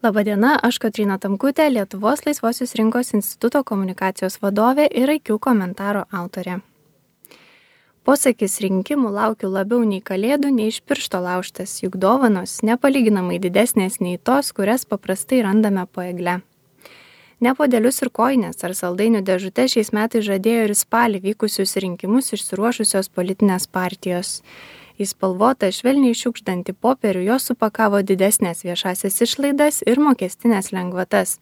Labadiena, aš Kotryna Tamkutė, Lietuvos laisvosios rinkos instituto komunikacijos vadovė ir IQ komentaro autorė. Posakis rinkimų laukiu labiau nei kalėdų, nei iš piršto laužtas, juk dovanos nepalyginamai didesnės nei tos, kurias paprastai randame po egle. Ne podelius ir koinės ar saldainių dėžute šiais metais žadėjo ir spalį vykusius rinkimus išsiruošusios politinės partijos. Į spalvotą švelniai šiukšdantį popierių jos supakavo didesnės viešasias išlaidas ir mokestinės lengvatas.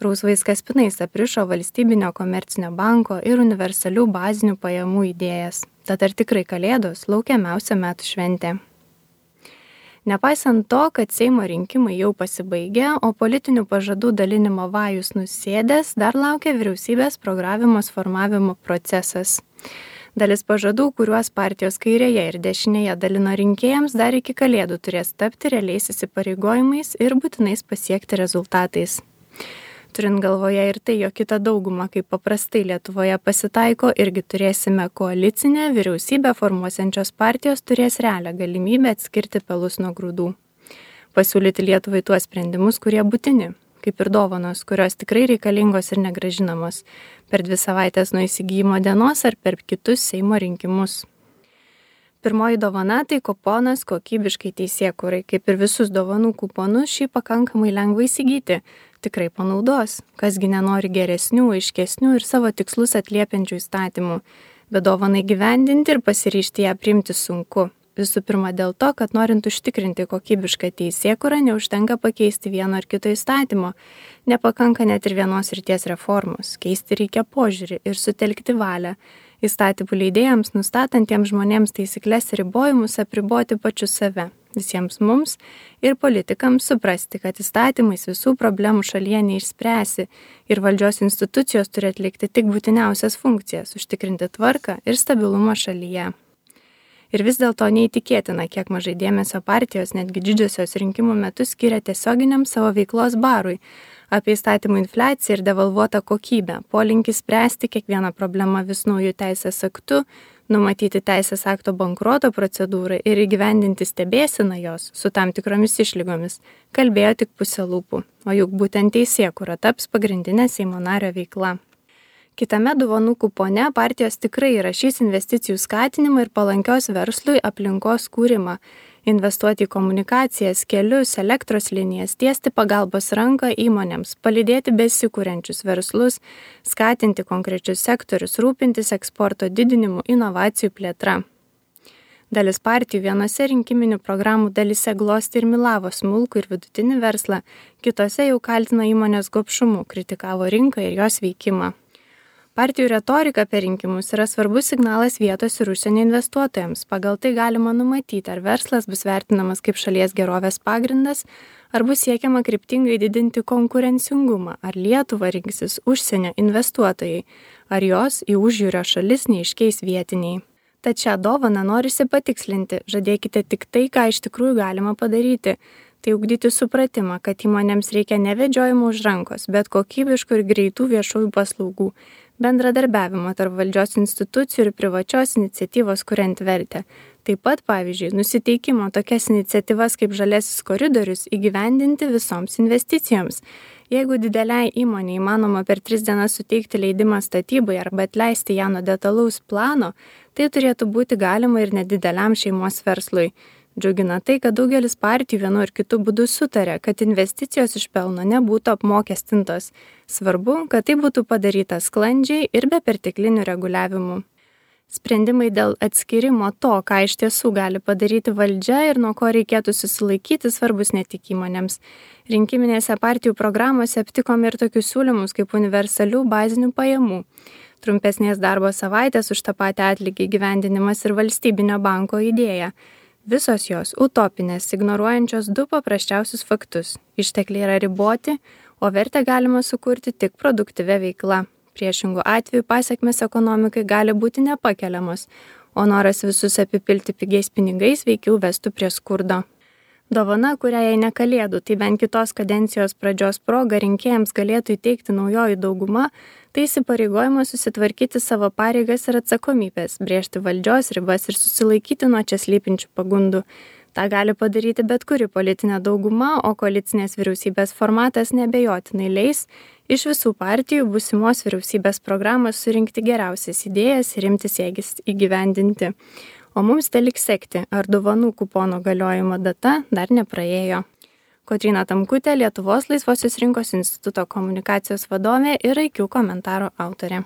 Rausvais kaspinais aprišo valstybinio komercinio banko ir universalių bazinių pajamų idėjas. Tad ar tikrai kalėdos laukiamiausia metų šventė? Nepaisant to, kad Seimo rinkimai jau pasibaigė, o politinių pažadų dalinimo vajus nusėdęs, dar laukia vyriausybės programos formavimo procesas. Dalis pažadų, kuriuos partijos kairėje ir dešinėje dalino rinkėjams, dar iki kalėdų turės tapti realiais įsipareigojimais ir būtinais pasiekti rezultatais. Turint galvoje ir tai, jog kita dauguma, kaip paprastai Lietuvoje pasitaiko, irgi turėsime koalicinę, vyriausybę formuosiančios partijos turės realią galimybę atskirti pelus nuo grūdų. Pasiūlyti Lietuvai tuos sprendimus, kurie būtini, kaip ir dovanos, kurios tikrai reikalingos ir negrąžinamos per 2 savaitės nuo įsigijimo dienos ar per kitus Seimo rinkimus. Pirmoji dovana tai kuponas kokybiškai teisėkūrai, kaip ir visus dovanų kuponus šį pakankamai lengva įsigyti, tikrai panaudos, kasgi nenori geresnių, aiškesnių ir savo tikslus atliepiančių įstatymų, bet dovanai gyvendinti ir pasiryžti ją priimti sunku. Visų pirma dėl to, kad norint užtikrinti kokybišką teisėkūrą, neužtenka pakeisti vieno ar kito įstatymo. Nepakanka net ir vienos srities reformos. Keisti reikia požiūrį ir sutelkti valią. Įstatymų leidėjams, nustatantiems žmonėms taisyklės ir ribojimus apriboti pačius save. Visiems mums ir politikams suprasti, kad įstatymais visų problemų šalyje neišspręsi ir valdžios institucijos turi atlikti tik būtiniausias funkcijas, užtikrinti tvarką ir stabilumą šalyje. Ir vis dėlto neįtikėtina, kiek mažai dėmesio partijos, netgi didžiosios rinkimų metu skiria tiesioginiam savo veiklos barui, apie įstatymų infliaciją ir devalvuotą kokybę, polinkį spręsti kiekvieną problemą vis naujų teisės aktų, numatyti teisės akto bankroto procedūrą ir įgyvendinti stebėseną jos su tam tikromis išlygomis, kalbėjo tik pusė lūpų, o juk būtent teisėkūra taps pagrindinė Seimo nario veikla. Kitame dovanų kupone partijos tikrai įrašys investicijų skatinimą ir palankios verslui aplinkos kūrimą, investuoti į komunikacijas, kelius, elektros linijas, tiesti pagalbos ranką įmonėms, palydėti besikūrenčius verslus, skatinti konkrečius sektorius, rūpintis eksporto didinimu, inovacijų plėtra. Dalis partijų vienose rinkiminių programų dalyse glosti ir milavo smulkų ir vidutinį verslą, kitose jau kaltina įmonės gobšumu, kritikavo rinką ir jos veikimą. Partijų retorika per rinkimus yra svarbus signalas vietos ir užsienio investuotojams. Pagal tai galima numatyti, ar verslas bus vertinamas kaip šalies gerovės pagrindas, ar bus siekiama kryptingai didinti konkurencingumą, ar Lietuvą rinksis užsienio investuotojai, ar jos į užjūrio šalis neiškeis vietiniai. Tad šią dovaną norisi patikslinti, žadėkite tik tai, ką iš tikrųjų galima padaryti. Tai ugdyti supratimą, kad įmonėms reikia ne vedžiojimo už rankos, bet kokybiškų ir greitų viešųjų paslaugų, bendradarbiavimo tarp valdžios institucijų ir privačios iniciatyvos kuriant vertę. Taip pat, pavyzdžiui, nusiteikimo tokias iniciatyvas kaip žaliasis koridorius įgyvendinti visoms investicijoms. Jeigu dideliai įmonei įmanoma per 3 dienas suteikti leidimą statybai arba atleisti ją nuo detalaus plano, tai turėtų būti galima ir nedideliam šeimos verslui. Džiugina tai, kad daugelis partijų vienu ar kitu būdu sutarė, kad investicijos iš pelno nebūtų apmokestintos. Svarbu, kad tai būtų padaryta sklandžiai ir be perteklinių reguliavimų. Sprendimai dėl atskirimo to, ką iš tiesų gali padaryti valdžia ir nuo ko reikėtų susilaikyti, svarbus ne tik įmonėms. Rinkiminėse partijų programose aptikome ir tokius siūlymus kaip universalių bazinių pajamų, trumpesnės darbo savaitės už tą patį atlygį įgyvendinimas ir valstybinio banko idėja. Visos jos utopinės, ignoruojančios 2 paprasčiausius faktus. Ištekliai yra riboti, o vertę galima sukurti tik produktyvia veikla. Priešingų atveju pasekmės ekonomikai gali būti nepakeliamos, o noras visus apipilti pigiais pinigais veikiau vestų prie skurdo. Dovana, kurią jei ne kalėdų, tai bent kitos kadencijos pradžios proga rinkėjams galėtų įteikti naujoji dauguma, tai įsipareigojimas susitvarkyti savo pareigas ir atsakomybės, brėžti valdžios ribas ir susilaikyti nuo čia slypinčių pagundų. Ta gali padaryti bet kuri politinė dauguma, o koalicinės vyriausybės formatas neabejotinai leis iš visų partijų būsimos vyriausybės programos surinkti geriausias idėjas ir imtis jas įgyvendinti. O mums teliks sekti, ar dovanų kupono galiojimo data dar nepraėjo. Kotryna Tamkutė, Lietuvos laisvosios rinkos instituto komunikacijos vadovė ir IQ komentaro autorė.